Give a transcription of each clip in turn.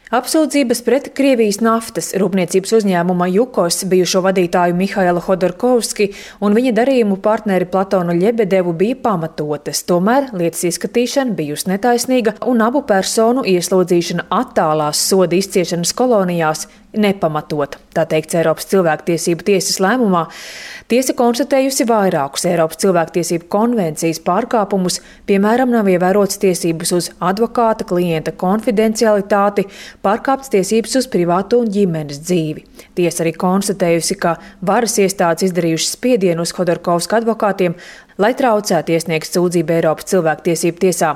Apsūdzības pret Krievijas naftas rūpniecības uzņēmuma Jukos bijušo vadītāju Mihailu Hodorkovski un viņa darījumu partneri Platonu Ļebedevu bija pamatotas, tomēr lietas izskatīšana bijusi netaisnīga un abu personu ieslodzīšana attālās soda izciešanas kolonijās nepamatota, tā teikts Eiropas cilvēktiesību tiesas lēmumā. Tiesa konstatējusi vairākus Eiropas cilvēktiesību konvencijas pārkāpumus, piemēram, nav ievērotas tiesības uz advokāta klienta konfidencialitāti, pārkāptas tiesības uz privātu un ģimenes dzīvi. Tiesa arī konstatējusi, ka varas iestādes izdarījušas spiedienu uz Hodorkovska advokātiem, lai traucētu iesniegt sūdzību Eiropas cilvēktiesību tiesā.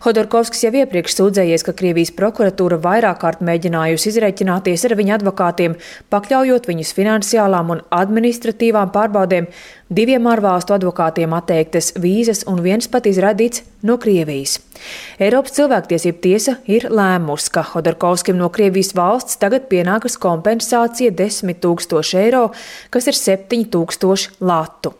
Hodorkovskis jau iepriekš sūdzējies, ka Krievijas prokuratūra vairāk kārt mēģinājusi izreķināties ar viņa advokātiem, pakļaujot viņus finansiālām un administratīvām pārbaudēm, 2 ārvalstu advokātiem atteiktas vīzas un viens pat izraidīts no Krievijas. Eiropas cilvēktiesību tiesa ir lēmusi, ka Hodorkovskim no Krievijas valsts tagad pienākas kompensācija 10 000 eiro, kas ir 7 000 latu.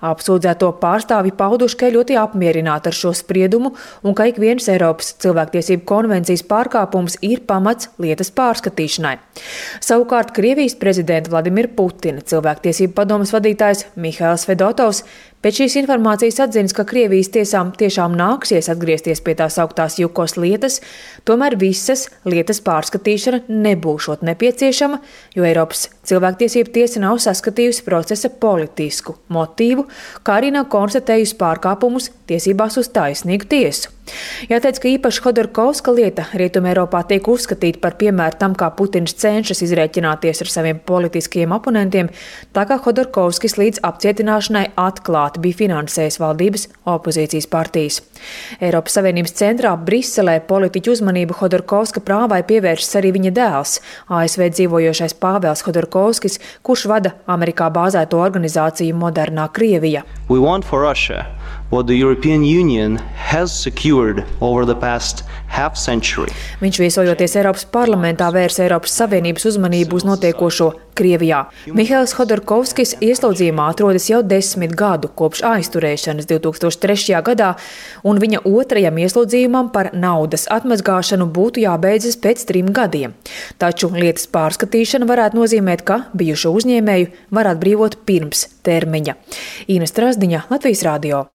Apsūdzēto pārstāvji pauduši, ka ļoti apmierināti ar šo spriedumu un ka ik viens Eiropas cilvēktiesību konvencijas pārkāpums ir pamats lietas pārskatīšanai. Savukārt Krievijas prezidenta Vladimira Putina cilvēktiesību padomes vadītājs Mihails Fedotovs pēc šīs informācijas atzīst, ka Krievijas tiesām tiešām nāksies atgriezties pie tās augtās Jukos lietas, tomēr visas lietas pārskatīšana nebūšot nepieciešama, jo Eiropas cilvēktiesību tiesa nav saskatījusi procesa politisku motīvu, kā arī nav konstatējusi pārkāpumus tiesībās uz taisnīgu tiesu. Jāteic, ka īpaši Hodorkovska lieta Rietumē Eiropā tiek uzskatīta par piemēru tam, kā Putins cenšas izrēķināties ar saviem politiskiem oponentiem, tā kā Hodorkovskis līdz apcietināšanai atklāti bija finansējis valdības opozīcijas partijas. Eiropas Savienības centrā Briselē politiķu uzmanību Hodorkovska prāvai pievēršas arī viņa dēls, ASV dzīvojošais Pāvels Hodorkovskis, kurš vada Amerikā bāzēto organizāciju Modernā Krievija. What the European Union has secured over the past half century. Viņš viesojoties Eiropas parlamentā vērs Eiropas Savienības uzmanību uz notiekošo Krievijā. Mihails Hodorkovskis ieslodzījumā atrodas jau 10 gadu kopš aizturēšanas 2003. gadā, un viņa otrajam ieslodzījumam par naudas atmazgāšanu būtu jābeidzas pēc 3 gadiem. Taču lietas pārskatīšana varētu nozīmēt, ka bijušo uzņēmēju var atbrīvot pirms termiņa. Ina Strazdiņa, Latvijas radio.